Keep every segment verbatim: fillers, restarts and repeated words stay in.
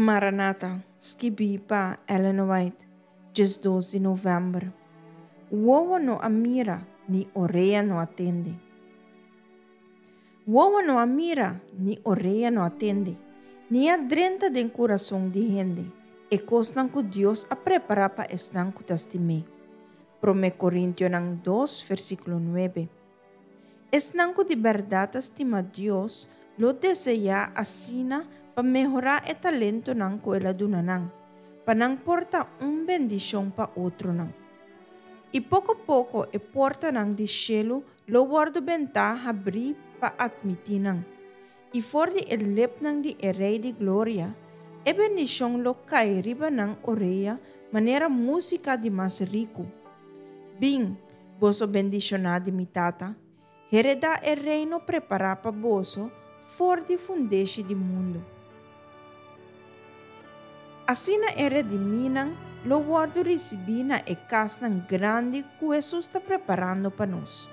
Maranata, skibí pa Ellen White, diesdos di novèmber. Wowo no a mira, ni orea no a tende. Wowo no a mira, ni orea no a tende, ni a drenta den kurason di hende, e kosnan ku Dios a prepará pa esnan ku ta stim'é. Promé Korintionan dos, versíkulo nuebe. Esnan ku di bèrdat ta stima Dios lo deseá asina pa mehorá e talentonan ku el a duna nan, pa nan por ta un bendishon pa otronan. I poko poko e portanan di shelu lo wòrdu bentá habrí pa atmití nan, i for di e lepnan di e Rei di Gloria, e bendishon lo kai riba nan orea manera músika di mas riku. Bin, boso bendishoná di mi Tata, heredá e reino prepará pa boso for di fundeshi di mundu. Asina e redimínan lo wòrdu risibí na e kasnan grandi ku Hesus ta preparando pa nos.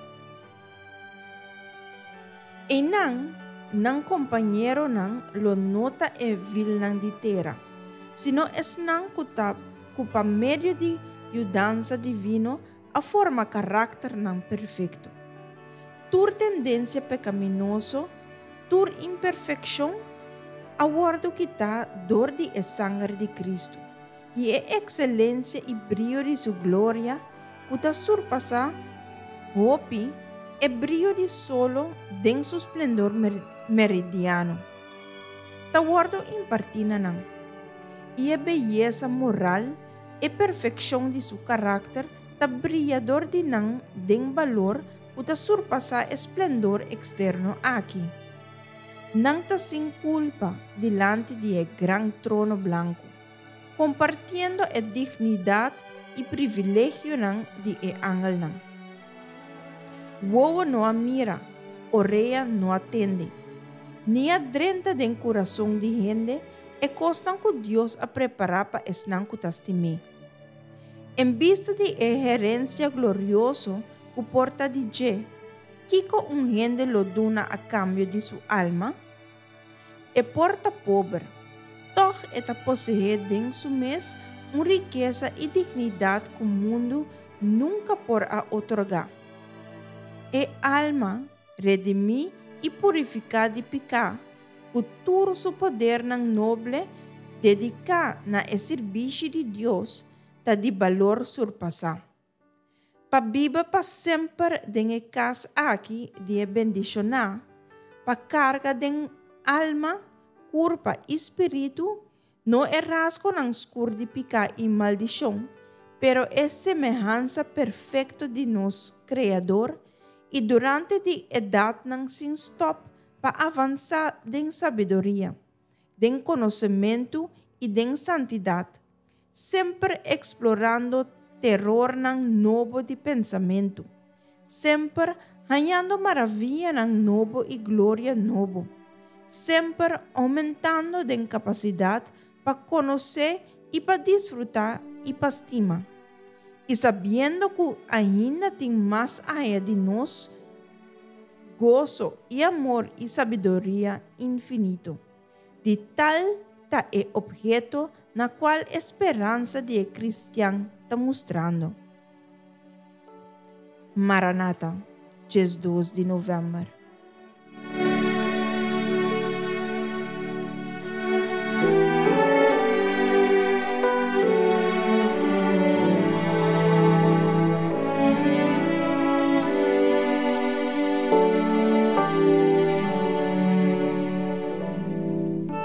Einan, nan kompañeronan lo no ta e vilnan di tera, sino esnan ku ta ku pa medio di yudansa divino a forma karakternan perfekto. Tur tendensia pekaminoso, tur imperfekshon, a wòrdu kitá dor di e sanger di Kristu, i e ekselensia i brio di su gloria, ku ta surpasá hopi e brio di solo den su splendor meridiano, ta wòrdu impartí na nan. I e beyesa moral, e perfekshon di su karakter ta bria dor di nan den balor ku ta surpasá e splendor eksterno aki. Nan ta sin kulpa dilanti di e gran trono blanku, kompartiendo e dignidat i privilegionan di e angelnan. Wowo no a mira, orea no a tende, ni a drenta den kurason di hende e kosnan ku Dios a prepará pa esnan ku ta stim'é. En bista di e herensia glorioso ku por ta di dje, kiko un hende lo duna a kambio di su alma? E por ta pober, tòg e ta poseé den su mes un rikesa i dignidat ku mundu nunka por a otorgá. E alma, redimí i purifiká di piká, ku tur su podernan noble dediká na e sirbishi di Dios, ta di balor surpasá. Pa biba pa semper den e kas aki di e bendishoná, pa karga den alma, kurpa i spiritu, no e rasgonan skur di piká i maldishon, pero e semehansa perfekto di nos Kreador, i durante di edatnan sin stòp pa avansá den sabiduria, den konosementu i den santidat, semper eksplorando terornan nobo di pensamentu, semper hañando maravianan nobo i gloria nobo, semper oumentando den kapasidat pa konosé i pa disfrutá i pa stima, i sabiendo ku ainda tin mas aya di nos goso i amor i sabiduria infinito. Di tal ta e opheto na kual e speransa di e kristian ta mustrando. Maranata, diesdos di novèmber.